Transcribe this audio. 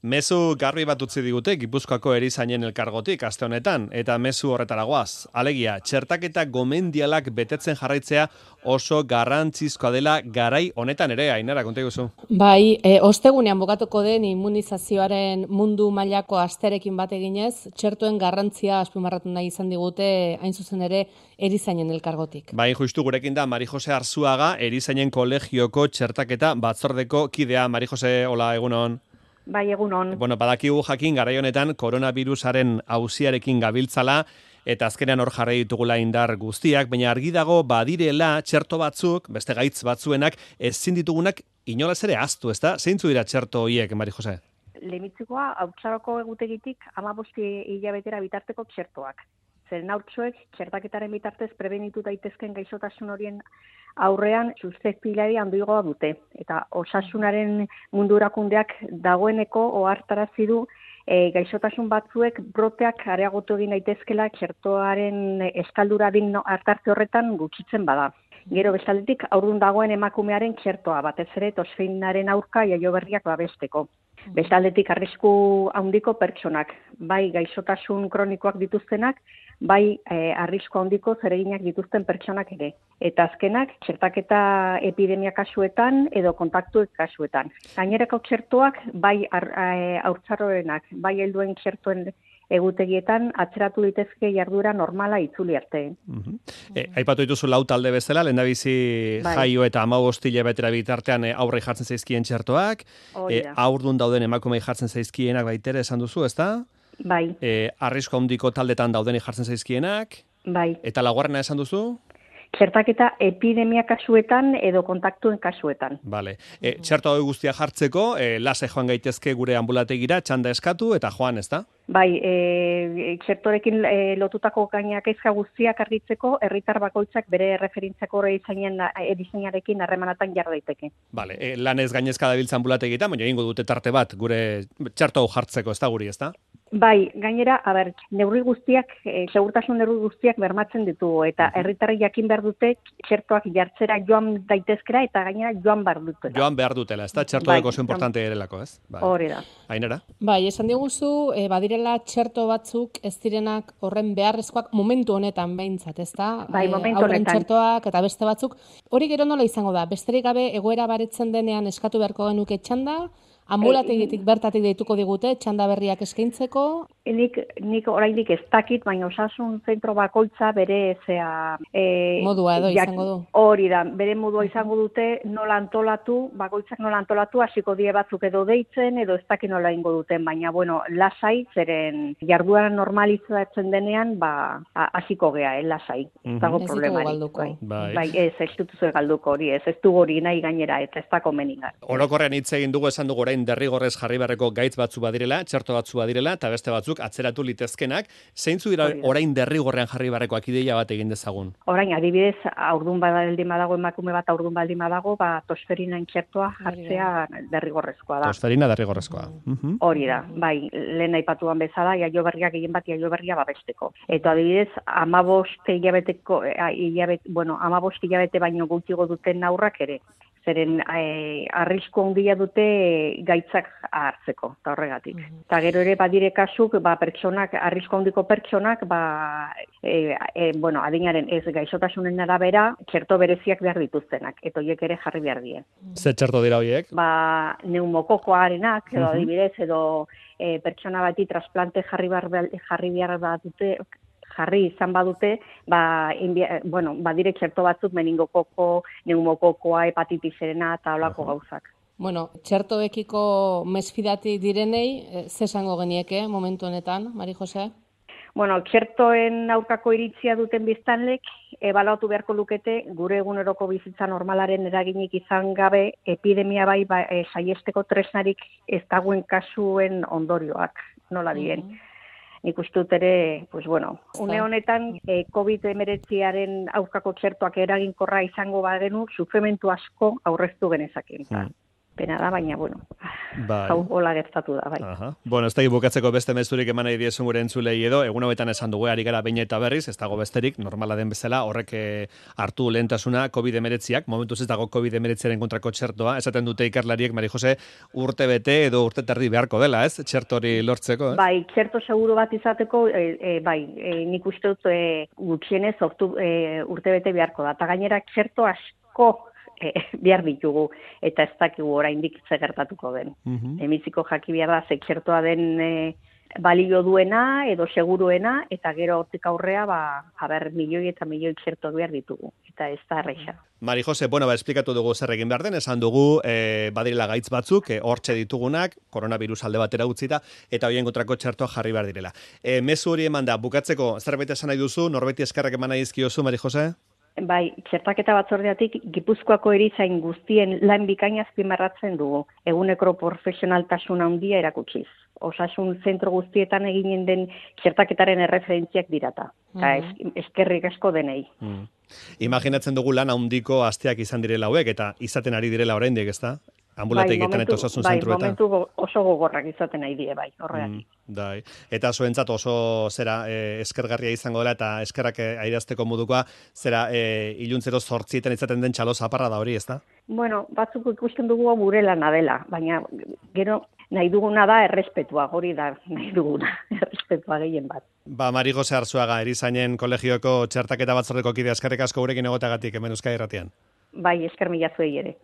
Mezu garbi bat utzi digute Gipuzkoako erizainen elkargotik aste honetan, eta mezu horretara goaz. Alegia, txertaketa gomendialak betetzen jarraitzea oso garrantzizkoa dela garai honetan ere, Ainara, konta iguzu. Bai, ostegunean bukatuko den immunizazioaren mundu mailako asterekin bat eginez, txertoen garrantzia azpimarratu nahi izan digute, hain zuzen ere, erizainen elkargotik. Bai, justu gurekin da Mari Jose Arzuaga, erizainen kolegioko txertaketa batzordeko kidea. Mari Jose, hola, egunon. Bai, egunon. Bueno, badakigu jakin garai honetan koronavirusaren auziarekin gabiltzala eta azkenean hor jarri ditugula indar guztiak, baina argi dago badirela txerto batzuk, beste gaitz batzuenak, ezin ditugunak inolaz ere ahaztu, ezta? Zeintzu dira txerto horiek, Mari Jose? Lehenbizikoa, haurtzaroko egutegitik 15 hilabetera bitarteko txertoak. Zeren haurtxoek txertaketaren bitartez prebenitu daitezken gaixotasun horien aurrean susceptibilitatea handiagoa dute. Eta osasunaren mundu erakundeak dagoeneko ohartarazi du gaixotasun batzuek broteak areagotu egin daitezkela txertoaren eskaldura din hartartze horretan gutxitzen bada. Gero bestaldetik haurdun dagoen emakumearen txertoa, batez ere tosfeinaren aurka jaioberriak babesteko. Bestaldetik arrisku handiko pertsonak, bai gaixotasun kronikoak dituztenak, bai arrisku handiko zereginak dituzten pertsonak ere. Eta azkenak, txertaketa epidemia kasuetan edo kontaktu kasuetan. Gainerako txertoak, bai haurtzaroenak, bai helduen txertoen egutegietan atzeratu ditezke jardura normala itzuli arte. Aipatu dituzu lau talde bezala, lehendabizi jaio eta 15 hilabetera bitartean aurrei jartzen zaizkien txertoak, haurdun dauden emakumei jartzen zaizkienak baitere esan duzu, ezta? Bai. Arrisku handiko taldetan daudeni jartzen zaizkienak? Bai. Eta laugarrena esan duzu? Txertaketa epidemia kasuetan edo kontaktuen kasuetan. Vale. Txerto hori guztia jartzeko, lase joan gaitezke gure ambulategira, txanda eskatu eta joan, ezta? Bai, txertorekin lotutako gainakaizka guztiak argitzeko, herritar bakoitzak bere referentziako erizainarekin harremanatan jar daiteke. Vale, lanez gainezka dabiltza ambulategietan, baina egingo dute tarte bat gure txerto hau jartzeko, ezta guri, ezta? Bai, gainera, neurri guztiak, segurtasun neurri guztiak bermatzen ditugu, eta herritarrek jakin behar dute txertoak jartzera joan daitezkera, eta gainera joan behar dutela. Joan behar dutela, ezta? Txertoak oso importante erelako, ez? Hori da. Ainara? Bai, esan diguzu, badirela txerto batzuk ez direnak horren beharrezkoak momentu honetan behintzat, ezta? Bai, momentu honetan. Txertoak eta beste batzuk. Hori gero nola izango da? Besterik gabe egoera baretzen denean eskatu beharko genuke txanda, ambulategitik bertatik deituko digute, txanda berriak eskaintzeko? Nik oraindik ez dakit, baina osasun zentro bakoitza bere modua edo izango du. Hori da, bere modua izango dute nola antolatu, bakoitzak nola antolatu, hasiko die batzuk edo deitzen, edo ez dakit nola ingo duten, baina bueno, lasai, zeren jarduera normalizatzen denean, hasiko gea, lasai. Ez dago problemarik. Bai, ez dutuzu galduko hori, ez dugu hori nahi gainera, eta ez dako meningar. Orokorrean hitz egin dugu, esan dugu orain derrigorrez jarri beharreko gaitz batzu badirela, txerto batzu badirela, eta beste batzuk atzeratu litezkenak. Zeintzu dira orain derrigorrean jarri beharrekoak, ideia bat egin dezagun? Orain, adibidez, haurdun baldin badago, emakume bat haurdun baldin badago, tosferina txertoa jartzea derrigorrezkoa da. Tosferina derrigorrezkoa. Hori da, bai, lehen aipatuan bezala, jaioberria gehien bat jaioberria babesteko. Eta adibidez, 15 hilabete baino gutxigo duten aurrak ere. Zeren arrisku handia dute gaitzak hartzeko, eta horregatik. Eta gero ere badire kasuk, pertsonak, arrisku handiko pertsonak, adinaren ez gaixotasunen arabera, txerto bereziak behar dituztenak, eta horiek ere jarri behar die. Ze txerto dira horiek? Neumokokoarenak, edo adibidez, edo pertsona bati trasplante jarri behar bat dute, jarri izan badute, badire txerto batzuk meningokoko, neumokokoa, hepatitisena eta holako gauzak. Bueno, txertoekiko mesfidati direnei, zesango genieke momentu honetan, Mari Jose? Bueno, txertoen aurkako iritzia duten biztanlek, ebaluatu beharko lukete, gure eguneroko bizitza normalaren eraginik izan gabe, epidemia saiesteko tresnarik ez dagoen kasuen ondorioak, nola dien. Nik uste dut ere, une honetan COVID-19 aurkako txertoak eraginkorra izango bagenu, sufrimentu asko aurreztu genezaken. pena da, baina, bueno, Bai. hau hola gertatu da, bai. Aha. Bueno, ez da bukatzeko beste mezurik eman nahi diezun gure entzulei edo, egun hauetan esan dugu, ari gara behin eta berriz, ez dago besterik, normala den bezala, horrek hartu lehentasuna COVID-19ak, momentuz ez dago COVID-19aren kontrako txertoa, esaten dute ikerlariek, Mari Jose, urte bete edo urte terdi beharko dela, ez? Txertori lortzeko, ez? Bai, txerto seguru bat izateko, nik uste dut gutxienez urte bete beharko da, eta gainera txerto asko behar ditugu, eta ez dakigu oraindik ze gertatuko den. Emiziko jaki behar da, ze txertoa den balio duena, edo seguruena, eta gero hortik aurrea, milioi eta milioi txerto behar ditugu, eta ez da erreixa. Mari Jose, bueno, esplikatu dugu zer egin behar den, esan dugu badirela gaitz batzuk, hortxe ditugunak, koronavirus alde batera utzita, eta horien kontrako txertoa jarri behar direla. Mezu hori eman da, bukatzeko, zerbait esan nahi duzu, norbeti eskerrak eman nahi dizkiozu, Mari Jose? Bai, txertaketa batzordeatik Gipuzkoako erizain guztien lan bikaina azpimarratzen dugu, eguneko profesionaltasun handia erakutsiz. Osasun zentro guztietan eginen den txertaketaren erreferentziak dirata. Eta eskerrik asko denei. Imaginatzen dugu lan handiko asteak izan direla hauek, eta izaten ari direla oraindik, ezta? Ambulategietan eta osasun zentruetan. Bai, momentu oso gogorrak izaten nahi die, bai, horregatik. Eta zuentzat oso eskergarria izango dela, eta eskerrak airazteko modukoa, iluntzero 8 izaten den txalo zaparra da hori, ezta? Bueno, batzuk ikusten dugu gure lana dela, baina gero nahi duguna da errespetua, hori da nahi duguna, errespetua gehien bat. Mari Jose Arzuaga, erizainen kolegioko txertaketa batzordeko kide, eskerrik asko gurekin egotagatik hemen Euskadi Irratian. Bai, esker mila zuei ere.